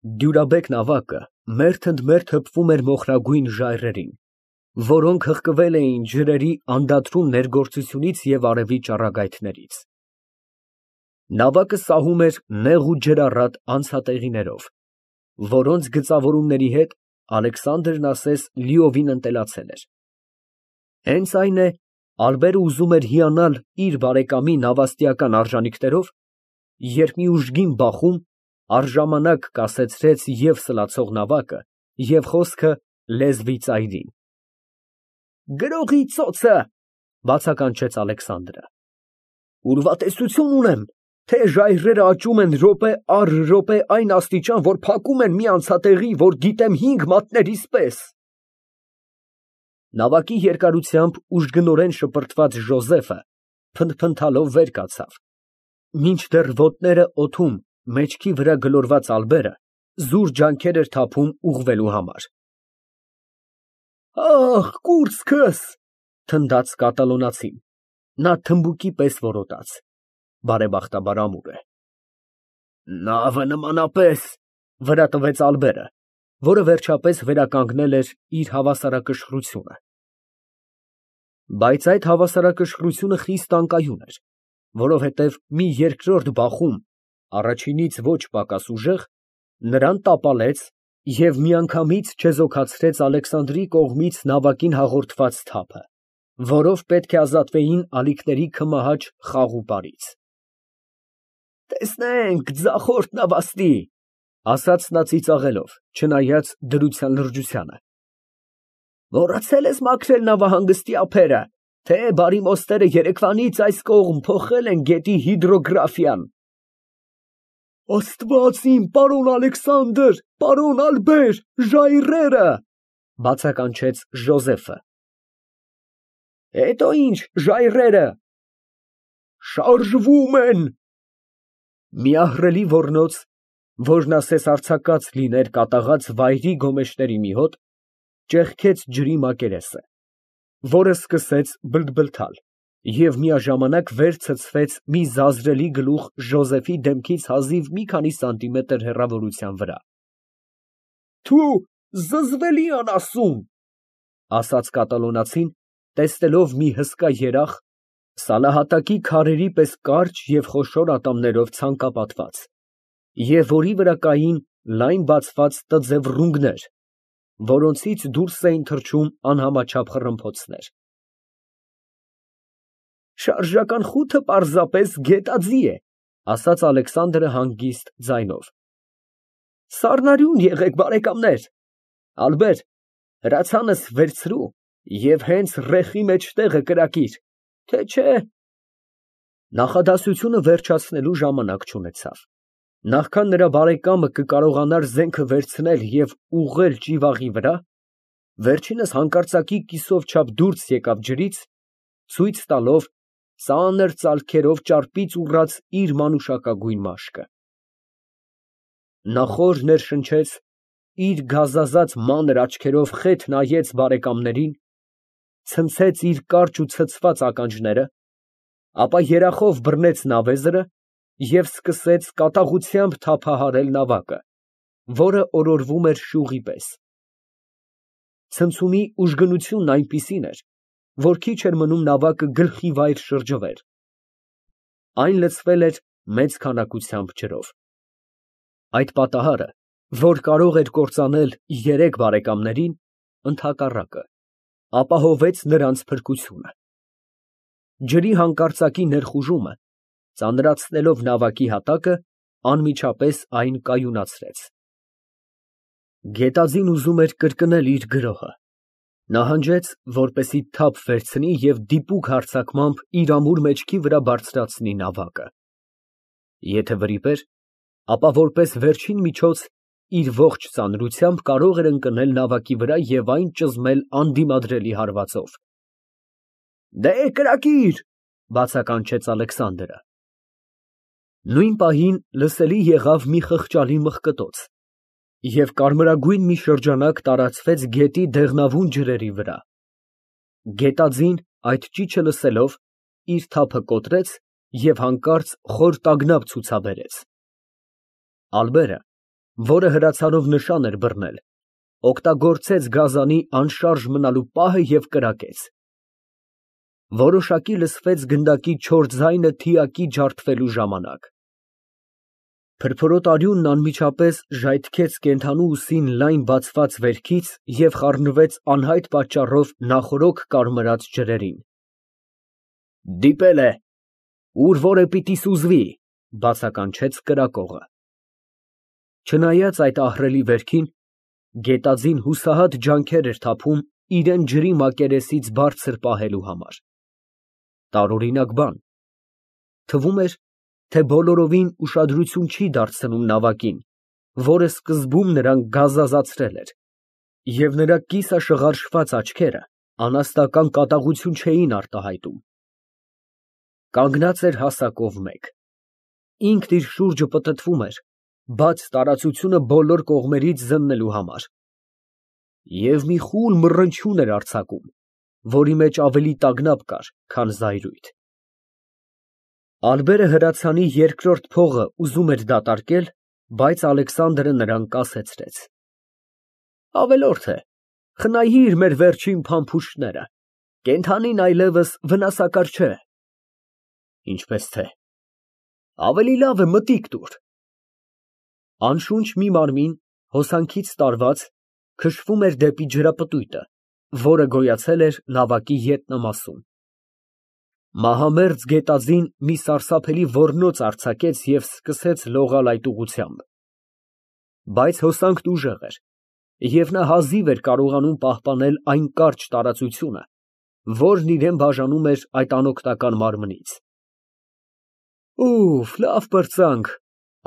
Դյուրաբեկ նավակը մերթ ընդ մերթ հպվում էր մոխրագույն ժայռերին, որոնք հղկվել էին ջրերի անդադրուն ներգործությունից և արևի ճառագայթներից։ Նավակը սահում էր նեղ ու ջրառատ անցատեղիներով, որոնց գծավորումների հետ Ալեքսանդրն ասես լիովին ընտելացել էր։ Հենց այն է, Ալբերը ուզում էր հիանալ իր բարեկամի նավաստիական արժանիքներով, երբ մի ուժգին բախում առժամանակ կասեցրեց և սլացող նավակը, և խոսքը լեզվի ծայրին։ «Գրողի ծոցը», ֊ բացականչեց Ալեքսանդրը։ «Ուրվատեսություն ունեմ, թե ժայռերը աճում են րոպե առ րոպե այն աստիճան, որ փակում են մի անցատեղի, որ գիտեմ 5 մատներիս պես»։ Նավակի երկարությամբ ուժգնորեն շպրտված Ժոզեֆը փնթփնթալով վեր կացավ, մինչդեռ ոտները օդում մեջքի վրա գլորված Ալբերը զուր ջանքեր էր թափում ուղղվելու համար։ «Ախ, կուրծքս», ֊ թնդաց կատալոնացին, նա թմբուկի պես որոտաց, բարեբախտաբար ամուր է։ «Նավը նմանապես», ֊ վրա տվեց Ալբերը, որը վերջապես վերականգնել էր իր հավասարակշռությունը։ Բայց այդ հավասարակշռությունը խիստ անկայուն էր, որովհետև մի երկրորդ բախում, առաջինից ոչ պակաս ուժեղ, նրան տապալեց և միանգամից չեզոքացրեց Ալեքսանդրի կողմից նավակին հաղորդված թափը, որով պետք է ազատվեին ալիքների քմահաճ խաղ ու պարից։ «Տեսնենք, ձախորդ նավաստի», ֊ ասաց նա ծիծաղելով, չնայած դրության լրջությանը։ «Մոռացել ես մաքրել նավահանգստի ափերը, թե բարի մոստերը երեկվանից այս կողմ փոխել են գետի հիդրոգրաֆիան»։ «Աստված իմ, պարոն Ալեքսանդր, պարոն Ալբեր, ժայռերը», ֊ բացականչեց Ժոզեֆը։ «Հետո ինչ ժայռերը»։ «Շարժվում են»։ Մի ահռելի ոռնոց, որն ասես արձակած լիներ կատաղած վայրի գոմեշտերի մի հոտ, ճեղքեց ջրի մակերեսը, որը սկսեց բլթբլթալ և միաժամանակ վեր ցցվեց մի զազրելի գլուխ Ժոզեֆի դեմքից հազիվ մի քանի սանտիմետր հեռավորության վրա։ «Թո՛ւ, զզվելի անասուն», ֊ ասաց կատալոնացին, տեսնելով մի հսկա երախ, սալահատակի քարերի պես կարճ և խոշոր ատամներով ցանկապատված, և որի վրա կային լայն բացված տձև ռունգներ, որոնցից դուրս էին թռչում անհամաչափ խռմփոցներ։ «Շարժական խութը պարզապես գետաձի է», ֊ ասաց Ալեքսանդրը հանգիստ ձայնով։ «Սառնարյուն եղեք, բարեկամներ։ Ալբեր, հրացանս վերցրու և հենց ռեխի մեջտեղը կրակիր, թե չէ…»։ Նախադասությունը վերջացնելու ժամանակ չունեցավ, նախքան նրա բարեկամը կկարողանար զենքը վերցնել և ուղղել ճիվաղի վրա, վերջինս հանկարծակի կիսով չափ դուրս եկավ ջրից, ցույց տալով ծանր ծալքերով ճարպից ուռած իր մանուշակագույն մաշկը։ Նա խոր ներշնչեց, իր գազազած մանր աչքերով խեթ նայեց բարեկամներին, ցնցեց իր կարճ ու ցցված ականջները, ապա երախով բռնեց նավեզրը և սկսեց կատաղությամբ թափահարել նավակը, որը օրորվում էր շուղի պես։ Ցնցումի ուժգնությունն այնպիսին էր, որ քիչ էր մնում նավակը գլխիվայր շրջվեր։ Այն լցվել էր մեծ քանակությամբ ջրով։ Այդ պատահարը, որ կարող էր կործանել երեք բարեկամներին, ընդհակառակը, ապահովեց նրանց փրկությունը։ Ջրի հանկարծակի ներխուժումը, ծանրացնելով նավակի հատակը, անմիջապես այն կայունացրեց։ Գետաձին ուզում էր կրկնել իր գրոհը։ Նահանջեց, որպեսզի թափ վերցնի և դիպուկ հարձակմամբ իր ամուր մեջքի վրա բարձրացնի նավակը։ Եթե վրիպեր, ապա որպես վերջին միջոց իր ողջ ծանրությամբ կարող էր ընկնել նավակի վրա և այն ճզմել անդիմադրելի հարվածով։ «Դե կրակիր», ֊ բացականչեց Ալեքսանդրը։ Նույն պահին լսելի եղավ մի խղճալի մղկտոց, և կարմրագույն մի շրջանակ տարածվեց գետի դեղնավուն ջրերի վրա։ Գետաձին, այդ ճիչը լսելով, իր թափը կոտրեց և հանկարծ խոր տագնապ ցուցաբերեց։ Ալբերը, որը հրացանով նշան էր բռնել, օգտագործեց գազանի անշարժ մնալու պահը և կրակեց։ Որոշակի լսվեց գնդակի չոր ձայնը թիակի ջարդվելու ժամանակ։ Փրփրոտ արյունն անմիջապես ժայթքեց կենդանու ուսին լայն բացված վերքից և խառնվեց անհայտ պատճառով նախօրոք կարմրած ջրերին։ Դիպել է, ուր որ է պիտի սուզվի, բացականչեց կրակողը։ Չնայած այդ ահռելի վերքին, գետաձին հուսահատ ջանքեր էր թափում իրան ջրի մակերեսից բարձր պահելու համար։ Տարօրինակ բան։ Թվում էր, թե բոլորովին ուշադրություն չի դարձնում նավակին, որը սկզբում նրան գազազացրել էր, և նրա կիսաշղարշված աչքերը անաստական կատաղություն չէին արտահայտում։ Կանգնած էր հասակով մեկ։ Ինքն իր շուրջը պտտվում էր, բաց տարածությունը բոլոր կողմերից զննելու համար։ Եվ մի խուլ մռնչյուն էր արձակում, որի մեջ ավելի տագնապ կար, քան զայրույթ։ Ալբերը հրացանի երկրորդ փողը ուզում էր դատարկել, բայց Ալեքսանդրը նրան կասեցրեց. Ավելորդ է, խնայիր մեր վերջին փամփուշտները, կենդանին այլևս վնասակար չէ։ Ինչպես թե, ավելի լավ է մտիկ տուր։ Անշունչ մի մարմին, հոսանքից տարված, քշվում էր դեպի ջրապտույտը, որը գոյացել էր նավակի ետնամասում։ Մահամերձ գետաձին մի սարսափելի ոռնոց արձակեց և սկսեց լողալ այդ ուղղությամբ։ Բայց հոսանքն ուժեղ էր, և նա հազիվ էր կարողանում պահպանել այն կարճ տարածությունը, որն իրան բաժանում էր այդ անօգնական մարմնից։ Ուֆ, լավ պրծանք,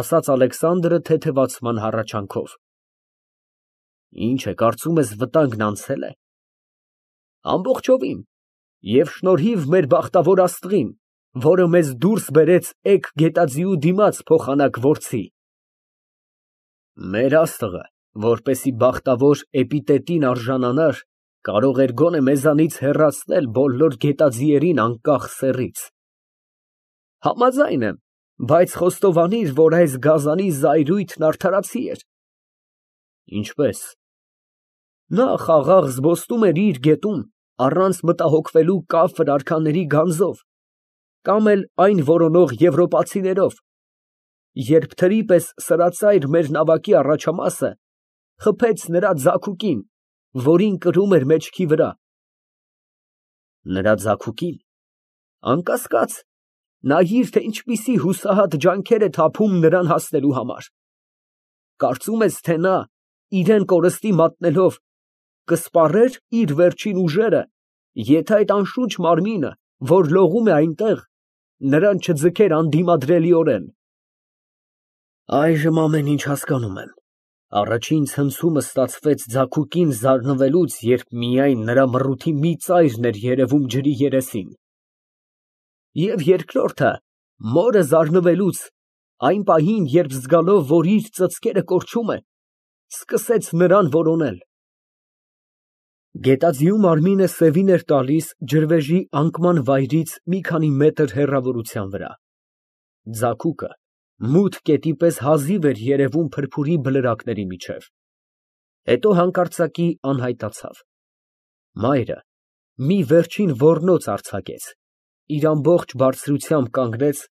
ասաց Ալեքսանդրը թեթևացման հառաչանքով։ Ինչ է, կարծում ես վտանգն անցե՞լ է։ Ամբողջովին, և շնորհիվ մեր բախտավոր աստղին, որը մեզ դուրս բերեց էգ գետաձիու դիմաց փոխանակ որցի։ Մեր աստղը, որպեսզի բախտավոր էպիթետին արժանանար, կարող էր գոնե մեզանից հեռացնել բոլոր գետաձիերին անկախ սեռից։ Համաձայն եմ, բայց խոստովանիր, որ այս գազանի զայրույթն արդարացի էր։ Ինչպես։ Նա խաղաղ զբոսնում էր իր գետում, առանց մտահոգվելու կաֆր արքաների գանձով, կամ էլ այն որոնող եվրոպացիներով, երբ թրի պես սրածայր մեր նավակի առաջամասը խփեց նրա ձագուկին, որին կրում էր մեջքի վրա։ Նրա ձագուկին։ Անկասկած, նայիր, թե ինչպիսի հուսահատ ջանքեր է թափում նրան հասնելու համար։ Կարծում ես, թե նա, իրան կորստի մատնելով, կսպառեր իր վերջին ուժերը, եթե այդ անշունչ մարմինը, որ լողում է այնտեղ, նրան չձգեր անդիմադրելիորեն։ Այժմ ամեն ինչ հասկանում եմ։ Առաջին ցնցումս ստացվեց ձագուկին զարնվելուց, երբ միայն նրա մռութի մի ծայրն էր երևում ջրի երեսին։ Եվ երկրորդը, մորը զարնվելուց, այն պահին, երբ զգալով, որ իր ծծկերը կորչում է, սկսեց նրան որոնել։ Գետաձիու մարմինը սևին էր տալիս ջրվեժի անկման վայրից մի քանի մետր հեռավորության վրա։ Ձագուկը մութ կետի պես հազիվ էր երևում փրփուրի բլրակների միջև։ Հետո հանկարծակի անհայտացավ։ Մայրը մի վերջին ոռնոց արձակեց, իր ամբողջ բարձրությամբ կանգնեց,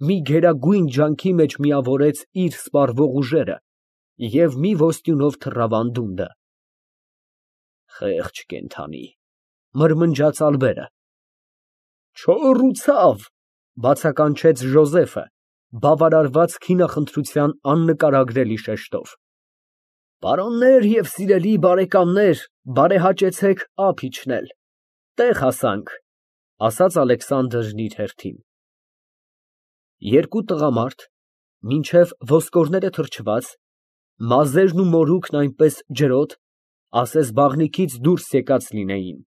մի գերագույն ջանքի մեջ միավորեց իր սպառվող ուժերը և մի ոսტյունով թռավ անդունդը։ Խեղճ կենդանի, մրմնջաց Ալբերը։ Չոր ու ցավ, բացականչեց Ժոզեֆը, բավարարված քինախնդրության աննկարագրելի շեշտով։ Պարոններ և սիրելի բարեկամներ, բարեհաճեցեք ափ իջնել, տեղ հասանք, ասաց Ալեքսանդրն իր հերթին։ Երկու տղամարդ, մինչև ոսկորները թրջված, մազերն ու մորուքն այնպես ջրոտ, ասես բաղնիքից դուրս եկած լինեին,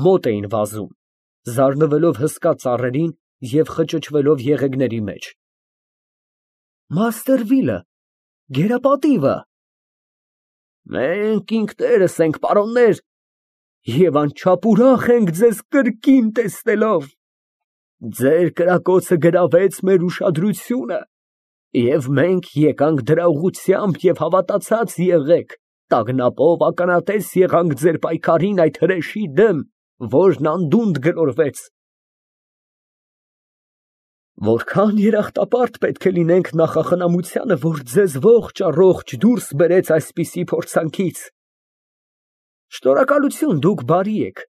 մոտ էին վազում, զարնվելով հսկա ծառերին և խճճվելով եղեգների մեջ։ Մաստերվիլը, գերապատիվը։ Մենք ինքներս ենք, պարոններ, և անչափ ուրախ ենք ձեզ կրկին տեսնելով։ Ձեր կրակոցը գրավեց մեր ուշադրությունը, Եվ մենք եկանք դրա ուղղությամբ և հավատացած եղեք, տագնապով ականատես եղանք ձեր պայքարին այդ հրեշի դեմ, որն անդունդը գլորվեց։ Որքան երախտապարտ պետք է լինենք նախախնամությանը, որ ձեզ ողջ առողջ դուրս բերեց այսպիսի փորձանքից։ Շնորհակալություն, դուք բարի եք,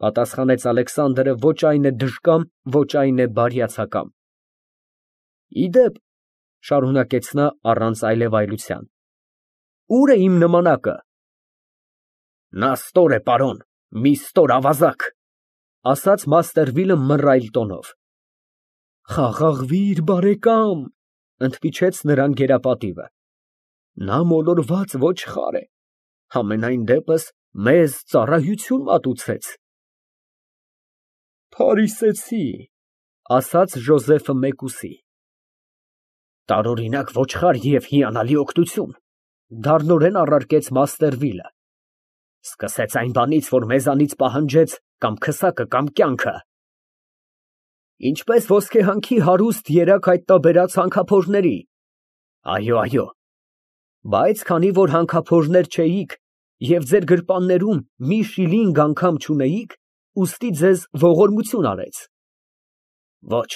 պատասխանեց Ալեքսանդրը, ոչ այն է դժկամ, ոչ այն է բարյացակամ։ Ի դեպ, շարունակեց նա առանց այլևայլության, ո՞ւր է իմ նմանակը։ Նա ստոր է, պարոն, մի ստոր ավազակ, ասաց Մաստերվիլը մռայլ տոնով։ Խաղաղվիր, բարեկամ, ընդմիջեց նրան գերապատիվը։ Նա մոլորված ոչխար է, համենայն դեպս մեզ ծառայություն մատուցեց։ Փարիսեցի, ասաց Ժոզեֆը մեկուսի։ Տարօրինակ ոչխար և հիանալի օգնություն, դառնորեն առարկեց Մաստերվիլը։ Սկսեց այն բանից, որ մեզանից պահանջեց կամ քսակը, կամ կյանքը։ Ինչպես ոսկեհանքի հարուստ երակ հայտնաբերած հանքափորների։ Այո, բայց քանի որ հանքափորներ չէիք և ձեր գրպաններում մի շիլինգ անգամ չունեիք, ուստի ձեզ ողորմություն արեց։ Ոչ,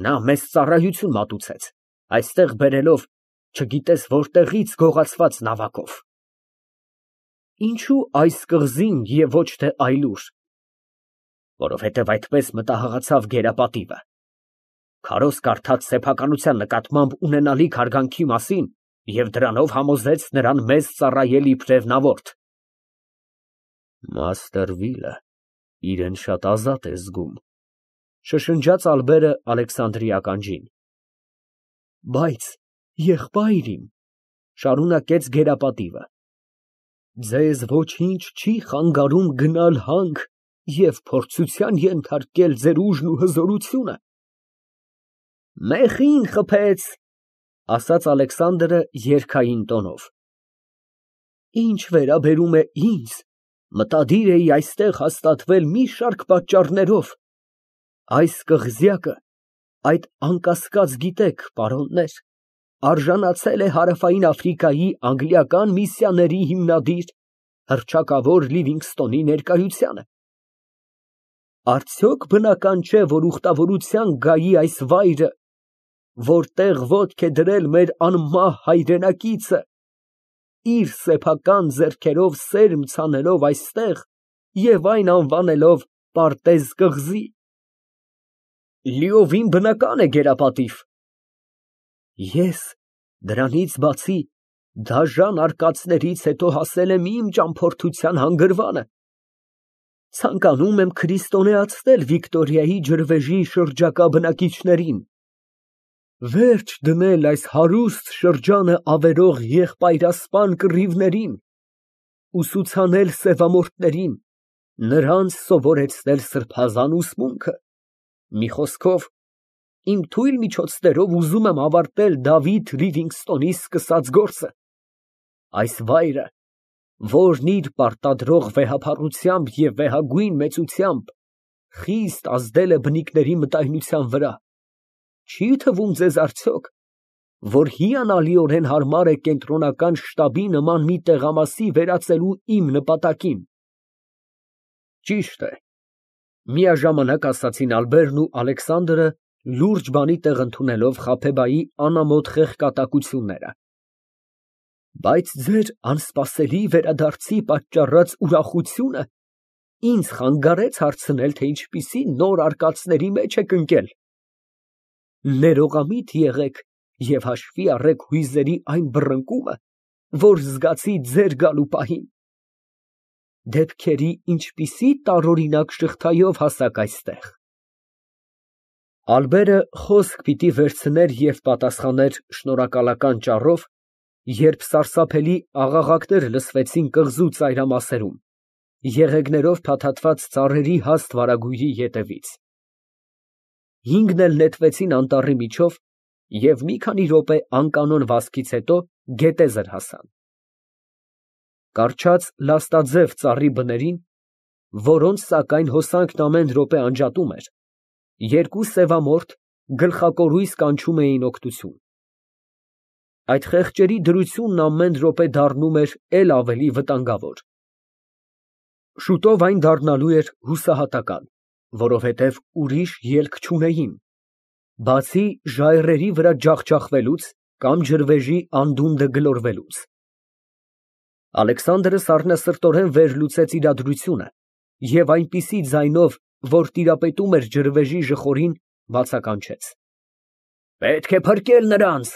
նա մեզ ծառայություն մատուցեց, այստեղ բերելով չգիտես որտեղից գողացված նավակով։ Ինչո՞ւ այս կղզին և ոչ թե այլուր։ Որովհետև այդպես մտահղացավ գերապատիվը։ Քարոզ կարդաց սեփականության նկատմամբ ունենալիք հարգանքի մասին և դրանով համոզեց նրան մեզ ծառայել իբրև նավորդ։ Մաստերվիլը իրեն շատ ազատ է զգում, շշնջաց Ալբերը Ալեքսանդրի ականջին։ Բայց, եղբայր իմ, շարունակեց գերապատիվը, ձեզ ոչինչ չի խանգարում գնալ հանք և փորձության ենթարկել ձեր ուժն ու հզորությունը։ Մեխին խփեց, ասաց Ալեքսանդրը երգային տոնով։ Ինչ վերաբերում է ինձ, մտադիր էի այստեղ հաստատվել մի շարք պատճառներով։ Այս կղզյակը, այդ անկասկած գիտեք, պարոններ, արժանացել է Հարավային Աֆրիկայի անգլիական միսիաների հիմնադիր հռչակավոր Լիվինգսթոնի ներկայությանը։ Արդյոք բնական չէ, որ ուխտավորության գայի այս վայրը, որտեղ ոտք է դրել մեր անմահ հայրենակիցը, իր սեփական ձեռքերով սերմ ցանելով այստեղ և այն անվանելով Պարտեզ կղզի։ Լիովին բնական է, գերապատիվ։ Ես դրանից բացի դաժան արկածներից հետո հասել եմ իմ ճամփորդության հանգրվանը։ Ցանկանում եմ քրիստոնեացնել Վիկտորիայի ջրվեժի շրջակա բնակիչներին, վերջ դնել այս հարուստ շրջանը ավերող եղբայրասպան կռիվներին, ուսուցանել սևամորթներին, նրանց սովորեցնել սրբազան ուսմունքը, մի խոսքով, իմ թույլ միջոցներով ուզում եմ ավարտել Դավիթ Լիվինգսթոնի սկսած գործը։ Այս վայրը, որն իր պարտադրող վեհափառությամբ և վեհագույն մեծությամբ խիստ ազդել է բնիկների մտայնության վրա, չի թվում ձեզ արդյոք, որ հիանալիորեն հարմար է կենտրոնական շտաբի նման մի տեղամասի վերածելու իմ նպատակին։ Ճիշտ է, միաժամանակ ասացին Ալբերն ու Ալեքսանդրը, լուրջ բանի տեղ ընդունելով Խաբեբայի անամոթ խեղճատակությունները։ Բայց ձեր անսպասելի վերադարձի պատճառած ուրախությունը ինձ խանգարեց հարցնել, թե ինչպիսի նոր արկածների մեջ եք ընկել։ Ներողամիտ եղեք և հաշվի առեք հույզերի այն բռնկումը, որ զգացի ձեր գալու պահին։ Դեպքերի ինչպիսի տարօրինակ շղթայով հասաք այստեղ։ Ալբերը խոսք պիտի վերցներ և պատասխաներ շնորհակալական ճառով, երբ սարսափելի աղաղակներ լսվեցին կղզու ծայրամասերում, եղեգներով փաթաթված ծառերի հաստ վարագույրի ետևից։ Հինգն էլ նետվեցին անտառի միջով և մի քանի րոպե անկանոն վազքից հետո գետեզր հասան։ Կառչած լաստաձև ծառի բներին, որոնց սակայն հոսանքն ամեն րոպե անջատում էր, երկու սևամորթ գլխակորույս կանչում էին օգնություն։ Այդ խեղճերի դրությունն ամեն րոպե դառնում էր էլ ավելի վտանգավոր։ Շուտով այն դառնալու էր հուսահատական, որովհետև ուրիշ ելք չունեին, բացի ժայռերի վրա ջախջախվելուց կամ ջրվեժի անդունդը գլորվելուց։ Ալեքսանդրը սառնասրտորեն վերլուծեց իրադրությունը և այնպիսի ձայնով, որ տիրապետում էր ջրվեժի ժխորին, բացականչեց. «Պետք է փրկել նրանց։